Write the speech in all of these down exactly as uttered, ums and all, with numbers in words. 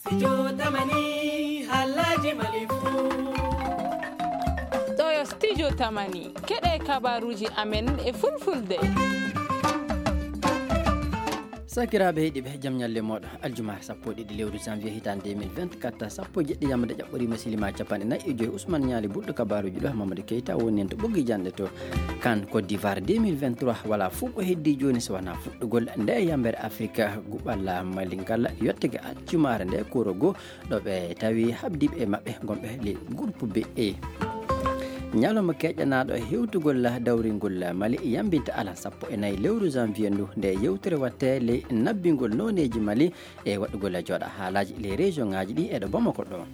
Studio Tamani, haalaaji Mali fuu. Ɗoo yo Studio Tamani, keɗee kabaaruuji amen e Fulfulde. Sakiraaɓe heɗiiɓe, jam ñalle mooɗon. Aljumaa sappo e ɗiɗi lewru janvier hitaande deux mille vingt-quatre, sappo e jeɗɗi yamde ƴaɓɓoriima, silima capanɗe nayi e joy. Usman Ñaali bulɗo kabaaruuji ɗo, Mamadou Keita woni en to ɓoggi janɗe to Kan Côte d'Ivoire deux mille vingt-trois. Walaa fof ko heddii jooni so wanaa fuɗɗugol nde yambere Afrika guɓal Mali ngal, yottake aljumaare nde kooro goo, ɗo ɓe tawi habdiiɓe e maɓɓe gonɓe ley groupe B E. Ñalawma keƴanaaɗo hewtugol dawringol Mali yambinta alan sappo e nayi lewru janvier ndu, nde yewtere waɗtee ley nabbingol nooneeji Mali e waɗugol e jooɗa haalaaji ley région ŋaaji ɗi e ɗo Bamako ɗo.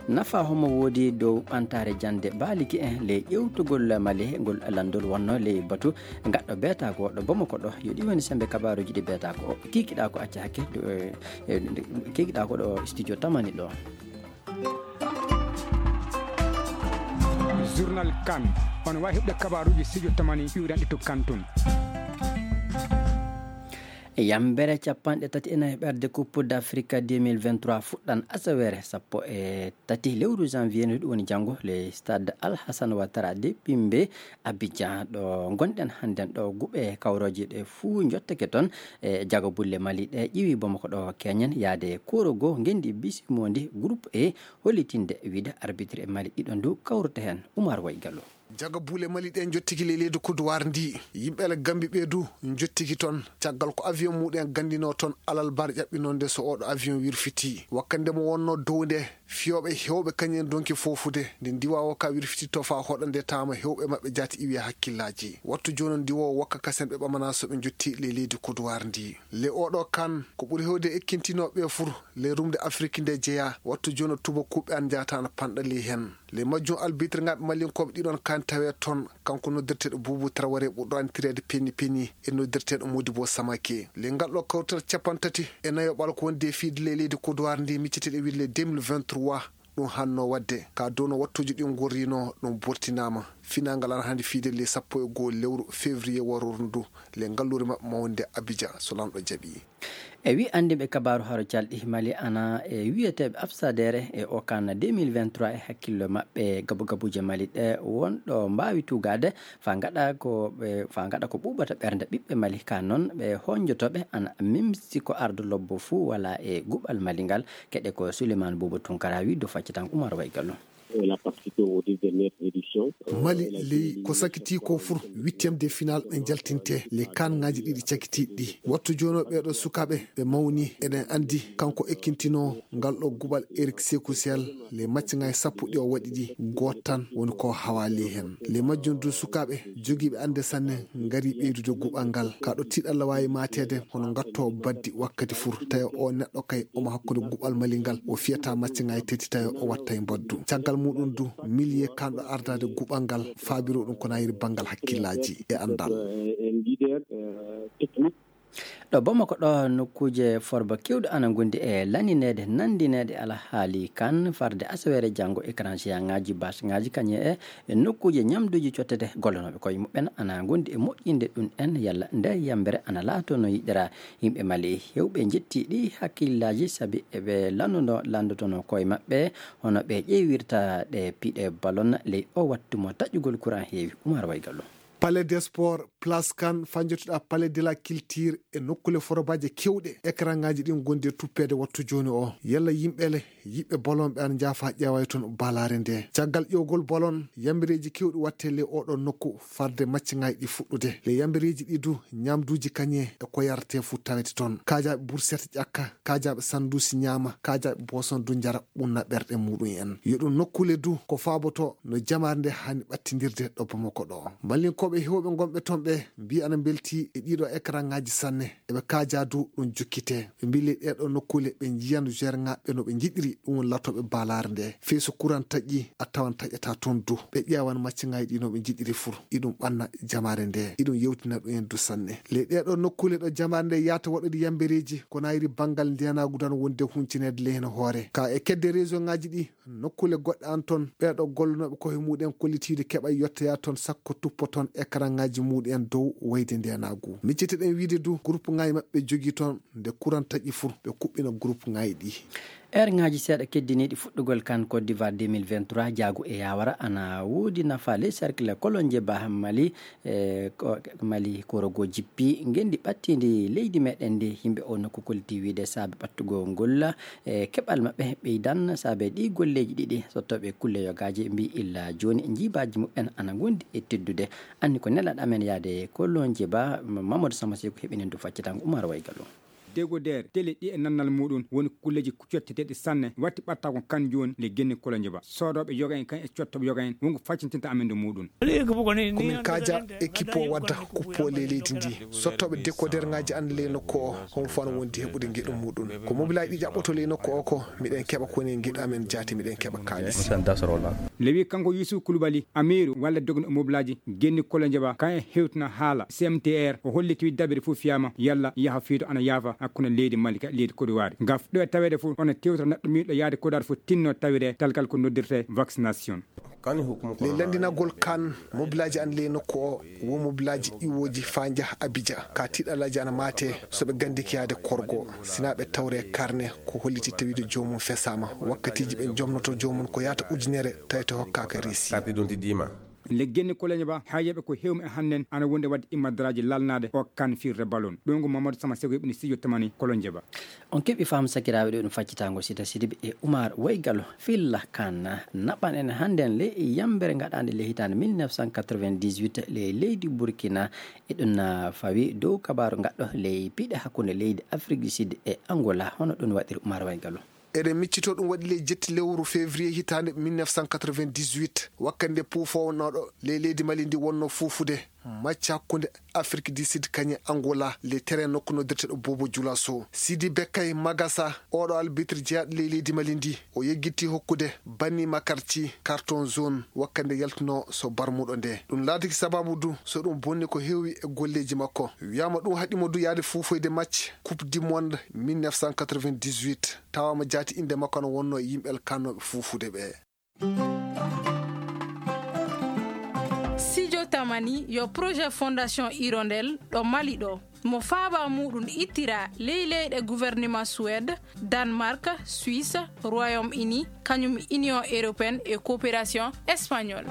Nafa homo woodi dow ɓantaare jannde baaliki en ley ƴewtugol Mali ngol lanndol wonnoo ley batu gaɗɗo beetaako ɗo Bamako ɗo? Yo ɗi woni semmbe kabaaruuji ɗi beetaako o kikiɗaa ko acca hakke, eh, eh, kikiɗaa ko ɗo studio Tamani ɗo. Journal Kan. On waawi heɓde kabaaruuji studio Tamani iwranɗi to Kan tun. Yambere capanɗe tati e nayi ɓerde Coupe d'Afrique deux mille vingt-trois fuɗɗan asaweere sappo e tati lewru janvier, no ɗum woni janngo, le stade Alhassane Ouattara de Bimbe, Abidjan, ɗo ngonɗen hannden ɗo. Guɓe kawrooje ɗe fuu njottake toon e jago bulle Mali ɗe ƴiwi Bamako ɗo keñen yaade kooro goo ngenndi bisimoondi groupe E, hollitinde wiide arbitre e Mali ɗiɗo ndu kawrata heen. Umar Way Gallo. Jaga buule Mali ɗe njottiki ley leydi Kodowar ndi. Yimɓe Ala Gambi ɓee du njottiki toon. Caggal ko avion muɗen gandinoo toon alalbar ƴaɓɓinoonde so ooɗo avion wirfitii. Wakkande mo wonnoo dow nde, fiyooɓe heewɓe kañum en donki foofude. Nde ndiwaawo ka wirfititoo faa hoɗa nde taama heewɓe maɓɓe jaati iwi e hakkillaaji. Wattu jooni ndiwoowo wakka kasen ɓe ɓamanaa so ɓe njottii ley leydi Kodowar ndi. Le ooɗo Kan, ko ɓuri heewde ekkintinooɓe ɓee fur, le rumde Afrik nde jeyaa, wattu jooni tubakuuɓe an njaata ana panɗa ley heen. Le majjum albitre ŋaaɓe Malinkooɓe ɗiɗon Kan tawee toon, kanko noddirteeɗo Buubu Taraware ɓurɗo anndireede Peni Peni e noddirteeɗo Modibo Samake. Le ngal ɗo kawtal cappanɗe tati e nayo ɓal ko wonde e fiide ley leydi Kodowar ndi micceteeɗo wiide le deux mille vingt-trois, ɗum hannoo waɗde. Ka dow no wattuuji ɗin ngorrinoo, ɗum bortinaama. Finaangal ana hannde fiide le sappo e goo lewru février warooru ndu, le ngalluure maɓɓe mawnde Abidjan, so Laamɗo jaɓii. E wii anndiiɓe kabaaru haro calɗi Mali ana e wiyeteeɓe absadeere e o Kan deux mille vingt-trois e hakkillo maɓɓe gabu gabuuje Mali ɗe won ɗo mbaawi tuugaade faa ngaɗa ko ɓe, faa ngaɗa ko ɓuuɓata ɓernde ɓiɓɓe Mali. Ka noon ɓe honjotooɓe ana mimsi ko ardo lobbo fuu walaa e guɓal Mali ngal. Keɗe ko Souleymane Boubou Tounkara wii dow faccatango Umar Way Gallo. Elle a participé aux dix dernières éditions. Mali ley ko sakitii ko fur huitième de finale ɓe njaltintee le Kan ŋaaji ɗiɗi cakitiiɗi ɗi. Wattu jooni o ɓeeɗo sukaaɓe ɓe mawni, eɗen anndi kanko ekkintinoo ngal ɗo guɓal Eric Sekou Sall le maccaŋaaji sappo ɗi o waɗi ɗi gooto tan woni ko hawaali heen. Le majjum du sukaaɓe jogiiɓe annde sanne ngari ɓeydude guɓal ngal. Ka ɗo tiiɗalla waawi maateede, hono ngattoowo baddi wakkati fur, tawi o neɗɗo kay omo hakkunde guɓal Mali ngal, o fiyataa maccaŋaaji tati, tawi o wattay mbaddu. Caggal muɗum du, miliye kanɗo ardaade guɓal ngal, faabiroo ɗum ko naayiri banngal hakkillaaji e anndal. Ɗo Bamako ɗo, nokkuuje forba keewɗe ana ngondi e landineede, nandineede alhaali Kan farde asaweere janngo, écran géant ŋaaji, bâche ŋaaji, kañe e e nokkuuje ñamduuji cottete gollonooɓe koye muɓɓen ana ngondi e moƴƴinde ɗum en yalla nde yambere ana laatoo no yiɗiraa. Yimɓe Mali heewɓe njettii ɗi hakkillaaji sabi eɓe lanndunoo, lanndotonoo koye maɓɓe hono ɓe ƴeewirta ɗe piɗe balon ley oo wattu mo taƴƴugol kuran heewi. Umar Way Gallo. Palais des Sports, Place Kan, faa njottiɗaa Palais de la Culture e nokkuule forobaaji keewɗe. Ekranŋaaji ɗin ngondi e tuppeede wattu jooni oo. Yalla yimɓe le, yiɓɓe bolon ɓe ana njaafa ƴeewa e toon balaare ndee. Caggal ƴeewgol bolon, yambireeji keewɗi waɗtee ley ooɗoo nokku farde maccaŋaaji ɗi fuɗɗude. Ley yambireeji ɗii du, ñaamduuji kañee e ko yaretee fuu tawete toon. Kaajaaɓe burset ƴakka, kaajaaɓe sanduusi ñaama, kaajaaɓe booson du njara. Ɓunna ɓerɗe muɗum en. Yo ɗum nokkuule du ko faabotoo no jamaare nde haani ɓattindirde ɗo Bamako ɗo. Malinkooɓe heewɓe ngonɓe toon ɓe mbii ana mbeltii e ɗiiɗoo ekranŋaaji sanne. Eɓe kaajaa du ɗum jokkitee. Ɓe mbii ley ɗeeɗoo nokkuule ɓe njiyan joueurŋaaɓe ɓe no ɓe njiɗiri, ɗum woni latooɓe balaare nde. Fey so kuran taƴii, a tawan taƴataa toon du. Ɓe ƴeewan maccaŋaaji ɗii no ɓe njiɗiri fur. Iɗum ɓanna jamaare nde. Iɗum yewtina ɗum en du sanne. Ley ɗeeɗoo nokkuule ɗo jamaare nde yahata waɗude yambereeji, ko naayiri banngal ndeenaagu du ana wondi e huncineede ley heen hoore. Ka e kedde région ŋaaji ɗii, nokkuule goɗɗe ana toon, ɓeeɗoo gollonooɓe koye muɗum en kollitiiɗo keɓa yottoyaa toon sakko tuppa toon ekranŋaaji muɗum en dow wayde ndeenaagu. Micceteɗen wiide du, groupe ŋaaji maɓɓe jogii toon, nde kuran taƴi fur, ɓe kuɓɓina groupe ŋaaji ɗii. Eerŋaaji seeɗa keddiniiɗi fuɗɗugol kan Côte d'Ivoire deux mille vingt-trois, jaagu e yaawara ana woodi nafa ley cercle Kolonjeba Mali. E ko Mali korogoo jippi ngenndi ɓattiindi leydi meɗen ndi. Yimɓe oo nokku kolliti wiide saabe ɓattugol ngol e keɓal maɓɓe ɓeydan saabe ɗii golleeji ɗiɗi. Sottooɓe kulle yogaaji mbii illa jooni njiibaaji muɓɓen ana ngondi e teddude. Anni ko nelaɗo amen yaade Kolonjeba, Mamadou Samba Seeku heɓini ndu faccitango Umar Waygalu. Degoder, tele ɗi e nannal muuɗum woni kulleeji cotteteeɗi sanne watti ɓattagol kan jooni le genni Kolonjeba. Soodooɓe yoga en kan e cottooɓe yoga en wonko faccintinta amen ndu muuɗum. Ko min kaaja ekipo wadda kuppo ley leydi ndi. Sottooɓe dekoderŋaaji an ley nokku o, homo fano wondi heɓude ngeɗu muuɗum. Ko mobilaaji ɗi ƴaɓɓoto ley nokku o ko, miɗen keɓa ko woni ngeɗu amen jaati, miɗen keɓa kaalis. Lewi kanko Yusuf Kulubali, amiiru walla dogno mobilaaji genni Kolonjeba, kan e hewtina haala C M T R, o holliti wiide dabere fof fiyaama yalla yaha fiito ana yaafa hakkunde leydi Mali ka leydi Côte d'Ivoire. Ngam ɗo e taweede fof, ona tewtora neɗɗo miiɗo yaade Côte d'Ivoire fof tinno tawiree talkal ko noddirtee vaccination. Ley lanndinagol kan mobilaaji an ley nokku o, wo mobilaaji iwooji faa njaha Abidja. Ka tiiɗalaaji ana maate so ɓe ganndike yaade korgo, sinaa ɓe tawree karne ko holliti tawiide joomum fesaama. Wakkatiiji ɓe njomnoto joomum ko yaata ujunere tawete hokkaaka reesi. Le genni Kolonjeba, haa yeɓe ko hewmi e hannden ana wondi wadde immadaraaji lalnaade o kan firre balon. Ɗum ko Mamadou Sama Sego heɓini studio tamani Kolonjeba. On keɓi faamu sakiraaɓe ɗo ɗum faccitaango sita sidiɓe e Umar Waygalo filla kan naɓan en hannden le yambere ngaɗaande le hitaande mille neuf cent quatre-vingt-dix-huit le leydi Burkina. E ɗum na fawi dow kabaaru ngaɗɗo ley piɗe hakkunde leydi Afrique du Sud e Angola. Hono ɗum waɗiri Umar Waygalo? Eɗen miccitoo ɗum waɗi ley jetti lewru février hitaande mille neuf cent quatre-vingt-dix-huit, wakkati nde puufoonooɗo ley leydi Mali ndi wonnoo fuufude macca hakkunde Afrique du Sud kañe Angola, ley terrain nokku noddirteeɗo Bobo Dioulasso. Sidi Bekkay Magasa, ooɗo albitre jeyaaɗo ley leydi Mali ndi, o yeggitii hokkude Bani Makarci carton jaune wakkati nde yaltunoo so barmuɗo nde. Ɗum laatiki sabaabu du so ɗum bonni ko heewi e golleeji makko. Wiyaama ɗum haɗi mo du yaade fuufoyde macce Coupe du Monde mille neuf cent quatre-vingt-dix-huit. Tawaama jaati innde makko ana wonnoo e yimɓe alkaanooɓe fuufude ɓee. Sijo Tamani yo projet Fondation Hirondelle ɗo Mali ɗo. Mo faaba muuɗum ittiraa ley leyɗe gouvernement Suède, Danemark, Suisse, Royaume-Uni, kañum Union Européenne e Coopération Espagnole.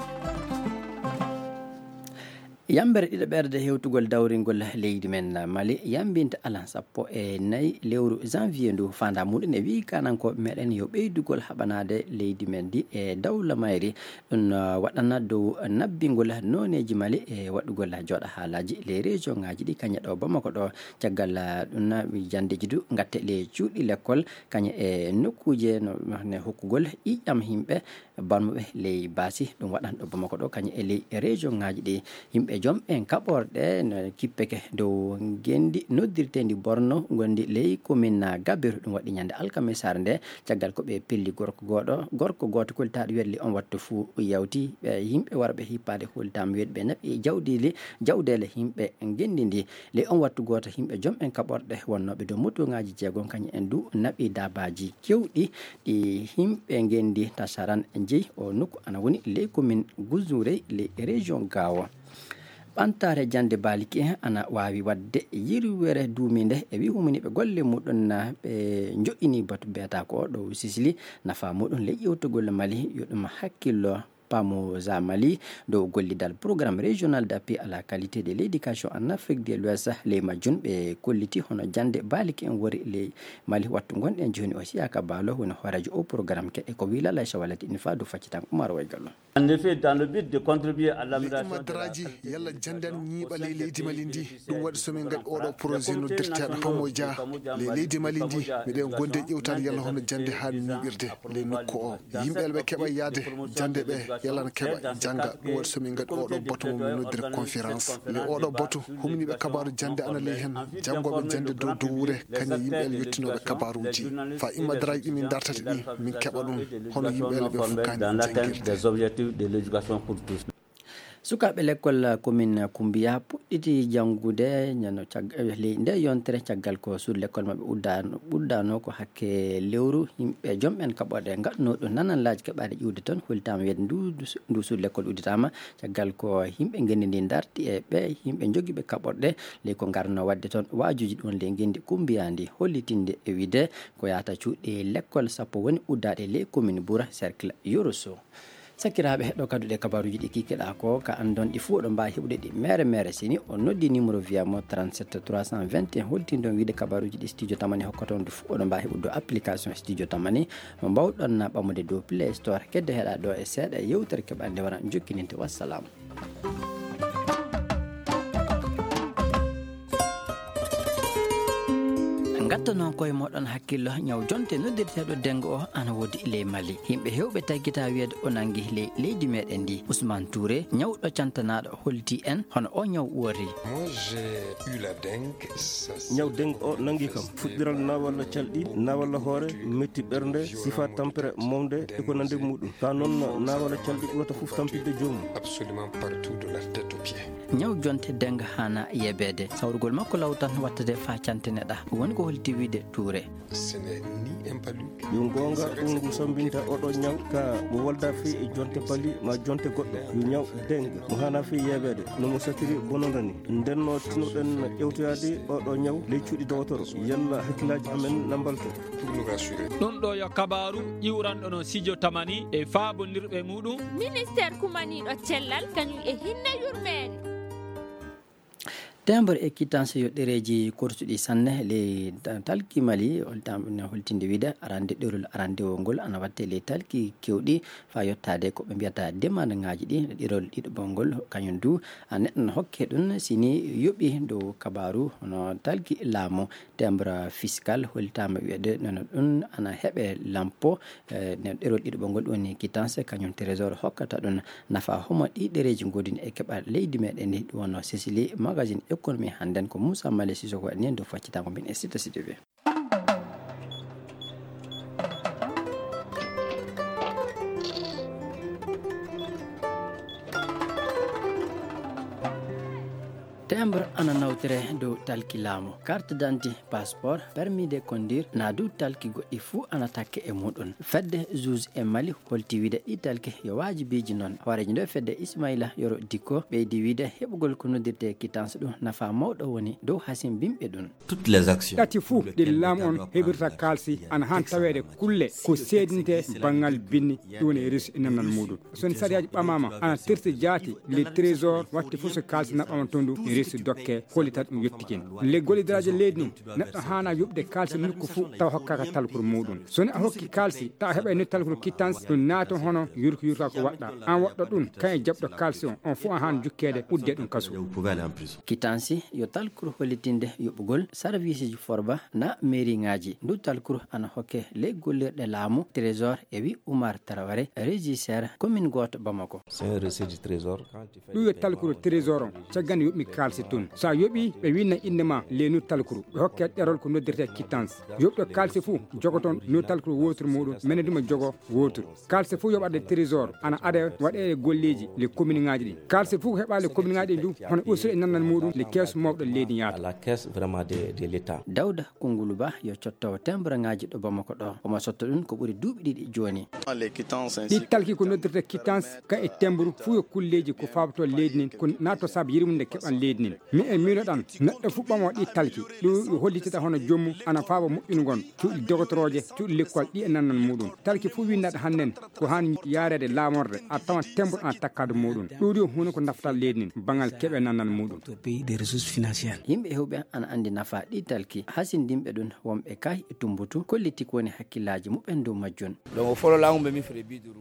Yambere ɗiɗaɓerde hewtugol dawringol leydi men Mali yambinta alan sappo e nayi lewru janvier ndu. Faandaa muuɗum e wii kaanankooɓe meɗen yo ɓeydugol haɓanaade leydi men ndi e dawla mayri. Ɗum, uh, waɗana dow nabbingol nooneeji Mali e waɗugol jooɗa haalaaji ley région ŋaaji ɗi kañe ɗo Bamako ɗo. Caggal, uh, ɗum na janndeeji du ngatte ley cuuɗi lekkol kañe e nokkuuje no, no hokkugol ƴiiƴam yimɓe. Barmuɓe ley baasi ɗum waɗan ɗo Bamako ɗo kañum e ley région ŋaaji ɗi. Yimɓe joom en kaɓorɗe no kippeke dow ngenndi noddirteendi Borno ngonndi ley commune Gabiru. Ɗum waɗi ñande alkamisaare nde caggal ko ɓe pelli gorko gooɗo, gorko gooto koltaaɗo werli on wattu fuu yawti. Ɓe yimɓe warɓe hippaade holtaama wiyeede ɓe naɓi jawdiili, jawdeele yimɓe ngenndi ndi. Ley on wattu gooto yimɓe joom en kaɓorɗe wonnooɓe dow motoŋaaji jeegom kañum en du naɓi daabaaji keewɗi. Ɗi yimɓe ngenndi tasaran njeyi o nokku ana woni ley commune Gouzouré ley région Gao. Ɓantaare jannde baaliki en ana waawi waɗde yirwere duumiinde e wii huminiiɓe golle muuɗum na ɓe njoƴƴini batu beetaako o ɗo Sisili. Nafaa muuɗum ley ƴeewtugol Mali yo ɗum hakkillo Pamoza Mali dow gollidal Programme Régional d'Appui à la Qualité de l'Éducation en Afrique de l'Ouest. Ley majjum ɓe kolliti hono jannde baaliki en wori ley Mali. Wattu ngonɗen jooni o, Siyaka Balo woni hooreejo o programme ke e ko wii Lalla Aisha Walati ini faa dow faccitan Umar Waygallo. En effet, dans le but de contribuer à l'amélioration de la qualité de l'éducation et de la sécurité, ɗum waɗi so min ngaɗi oɗo projet noddirteeɗo Pamoja ley leydi Mali ndi. Miɗen gondi e ƴewtaade yalla hono jannde haani ñiiɓirde ley nokku o. Yimɓe ɓe keɓa yaade jannde ɓe, yalla na keɓa jannga. Ɗum waɗi so min ngaɗi oɗo batu mo min noddiri conférence. Ley oɗo batu, humniiɓe kabaaru jannde ana ley hen, janngooɓe jannde dow dowre, kañum yimɓe yettinooɓe kabaaruuji. Fa immadaraaji ɗi min dartata ɗi, min keɓa ɗum, hono yimɓe ɓe fof kaani janngirde. Sukaaɓe lekkol komin Kumbiya puɗɗiti janngude ñande cag-, eh, ley ndee yontere, caggal ko suudu lekkol maɓɓe uddaano, uddaano ko hakke lewru. Yimɓe jom en kaɓorɗe ngaɗunoo ɗum nananlaaji keɓaade ƴiwde toon, hollitaama wiyeede ndu, ndu suudu lekkol udditaama, caggal ko yimɓe ngenndi ndii ndarti e ɓee yimɓe jogiiɓe kaɓorɗe, ley ko ngarnoo waɗde toon waajuuji ɗum ley ngenndi Kumbiya ndii, hollitinde e wiyeede ko yahata cuuɗi lekkol sappo woni uddaaɗe ley komin Bura, cercle Yoro Sow. Sakiraaɓe, ɗo kadduɗe kabaaruuji ɗi kikiɗaa ko, ka anndon ɗi fuu, oɗon mbaawi heɓude ɗi meere meere. Si ni on noddi numéro via mo trente-sept trois cent vingt et un, holtinɗon wiide kabaaruuji ɗi Studio Tamani hokkata on ɗi fuu, oɗon mbaawi heɓude ɗo application Studio Tamani, mo mbaawɗon na ɓamude dow Play Store. Keddo heɗaa ɗo e seeɗa yewtere keɓaa nde wara jokkininte. Wassalam. Ngattanoo koye mooɗon hakkillo, ñaw jonte noddirteeɗo dengue o ana woodi ley Mali. Yimɓe heewɓe taggitaa wiyeede o nanngi ley leydi meɗen ndi. Ousmane Touré, ñawɗo cantanaaɗo, holliti en hono o ñaw uwori. Moi, j'ai eu la dengue. Ñaw dengue o nanngi kam. Fuɗɗiral naawalla calɗi, naawalla hoore, metti ɓernde, sifa tampere, mawde, e ko nanndi muɗum. Ka noon naawalla calɗi ɓurata fof tampinde joomum. Absolument partout de la tête aux pieds. Ñaw jonte dengue haana yebeede. Sawrugol makko law tan wattade faa cantineɗaa. Ɗum woni ko holliti wiide Touré. Ce n'est ni un palu. Yo goonga, ɗum ngu sammbinta oɗo ñaw ka mo walda fii e jonte pali ma jonte goɗɗo. Yo ñaw dengue mo haana fii yebeede no mo satiri bononda ni. Nden no tinnoɗen ƴewtoyaade oɗo ñaw ley cuuɗi dogotoro. Yalla hakkillaaji amen na mbalto. Pour nous rassurer. Ɗum ɗo yo kabaaru iwranɗo no Studio Tamani e faabondirɓe muɗum. Ministeer kumaniiɗo cellal kañum e hinne yurmeende. Timbre e quittance yo ɗereeji korsuɗi sanne ley ta-, talki Mali, holtam-, holtinde wiide arande ɗerol arandewol ngol ana watte ley talki kewɗi faa yottaade ko ɓe mbiyata demandŋaaji ɗi. Ɗerol ɗiɗaɓol ngol kañum du a neɗɗo no hokke ɗum si ni yoɓi dow kabaaru hono talki laamu. Timbre fiscal holtaama wiyeede nono ɗum ana heɓe lampo, eh, no ɗerol ɗiɗaɓol ngol woni quittance, kañum trésor hokkata ɗum nafa. Homo ɗi ɗereeji ngoodini e keɓal leydi meɗen ndi? Ɗum wonno Cécilie, magazine économie hannden ko Moussa Male Sissoko waɗi nden dow faccitaango min e Sita Sidibé. Timbre ana nawtire dow talki laamu, carte d'identité, passeport, permis de conduire, naa dow talki goɗɗi fuu ana takke e muɗum. Fedde juge e Mali holti wiide ɗi talki yo waajibiiji non. Hooreejo nde fedde Ismaila Yoro Dikko ɓeydi wiide heɓugol ko noddirte quittance ɗum nafa mawɗo woni dow hasimbinɓe ɗum. Toutes les actions. Ɗati fuu ɗi laamu on heɓirta kaalsi ana han taweede kulle ko seedinte banngal binni, ɗum woni reçu e nannal muɗum. So ni sariyaaji ɓamaama ana terti jaati, le trésor watti fof so kaalsi naɓɓama toon du reçu dokke, hollita ɗum yettikin. Le gollidiraaji leydi ni, neɗɗo haana yoɓde kaalsi nokku fuu tawa hokkaaka talkuru muɗum. So ni a hokki kaalsi tawa heɓa ni talkuru quittance, ɗum naata hono yurko yurka ko waɗɗa. An waɗɗo ɗum, kan e jaɓɗo kaalsi on, on fuu a han jukkeede, udde ɗum kasu. Quittance yo talkuru hollitinde yoɓugol sarwiisiji forba na meeriŋaaji. Ndu talkuru ana hokke ley gollirɗe laamu, trésor, e wi Oumar Traoré, régisseur commune gooto Bamako. C'est un reçu du trésor. Ɗum yo talkuru trésor on, caggal nde yoɓmi kaalsi tun. So a yoɓi, ɓe winna innde ma ley ndu talkuru, ɓe hokke ɗerol ko noddirte quittance. Yoɓɗo kaalsi fuu jogoton ndu talkuru wooturu muɗum, mene du ma jogo wooturu. Kaalsi fuu yoɓaade trésor ana ada waɗeede golleeji le commune ŋaaji ɗi. Kaalsi fuu heɓaale commune ŋaaji ɗi du hono usude e nannal muɗum le keesu mawɗo leydi yaata. À la caisse vraiment de, de l'État. Dawda Kungulu Ba yo cottowo timbre ŋaaji ɗo Bamako ɗo. Omo sotta ɗum ko ɓuri duuɓi ɗiɗi jooni. Ɗi talki ko noddirta quittance, ka e timbre fuu yo kulleeji ko faaboto leydi nin, ko naatto saabu yirmunde keɓal leydi nin. Mi en miinoɗan neɗɗo fuu ɓamo ɗi talki, ɗum yo hollitita hono joomum ana faabo moƴƴunugol cuuɗi dogotorooje, cuuɗi lekkol ɗi e nannal muɗum. Talki fuu winnaɗo hannden ko han yaareede laamorde, a tawan timbre ana takkaade muɗum. Ɗum yo huunde ko nafata leydi nin, bangal keɓe nannal muɗum. Pays de ressources financières. Yimɓe heewɓe ana anndi nafa ɗi talki. Hasindinɓe ɗum, wonɓe kay e Tumbutu, kolliti ko woni hakkillaaji muɓɓen dow majjum.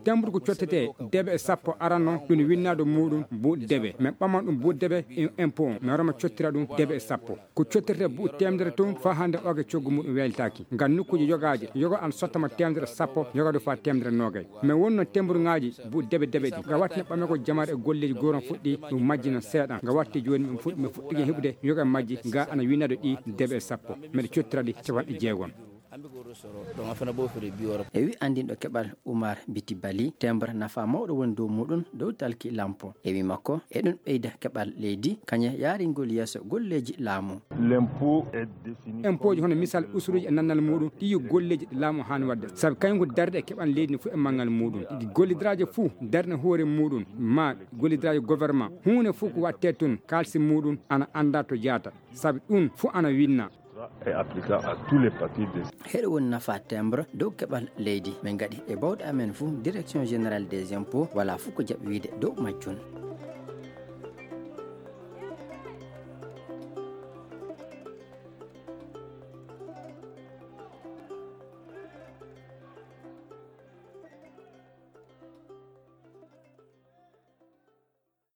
Timbre ko cottetee debe e sappo aranno, ɗum winnaado muɗum buuɗi debe. Men ɓaman ɗum buuɗi debe e impôt on, men roma cottira ɗum debe e sappo. Ko cottirtee buuɗi teemedere tun faa hannde oge coggu muɗum weeltaaki. Ngam nokkuuje yogaaje, yoga ana sottama teemedere sappo, yoga du faa teemedere noogay. Men wonno timbre ŋaaji buuɗi debe debe ɗi. Nga watti no ɓamegol jamaare e golleeji gooron fuɗɗi, ɗum majji non seeɗan. Nga watti jooni men fuɗ-, men fuɗɗike heɓude yoga majji, nga ana winnaado ɗi debe e sappo. Meɗe cottira ɗi capanɗe jeegom. E wi anndinɗo keɓal Umar Biti Bali, timbre nafa mawɗo woni dow muuɗum dow talki lampo. E wi makko, eɗum ɓeyda keɓal leydi, kañe yaaringol yeeso golleeji laamu. Impooji hono misal usuruuji e nannal muuɗum, ɗi yo golleeji ɗi laamu haani waɗde. Sabi kañum ko darde e keɓal leydi ndi fof e manngal muuɗum. Gollidoraajo fof darna hoore muuɗum, maa gollidoraajo governement, huunde fof ko waɗtee toon, kaalisi muuɗum ana anndaa to jaata. Sabi ɗum fof ana winnaa. Heɗo woni nafa timbre dow keɓal leydi. Min ngaɗi e baawɗe amen fof, direction générale des impôts walaa fof ko jaɓi wiyde dow majjum.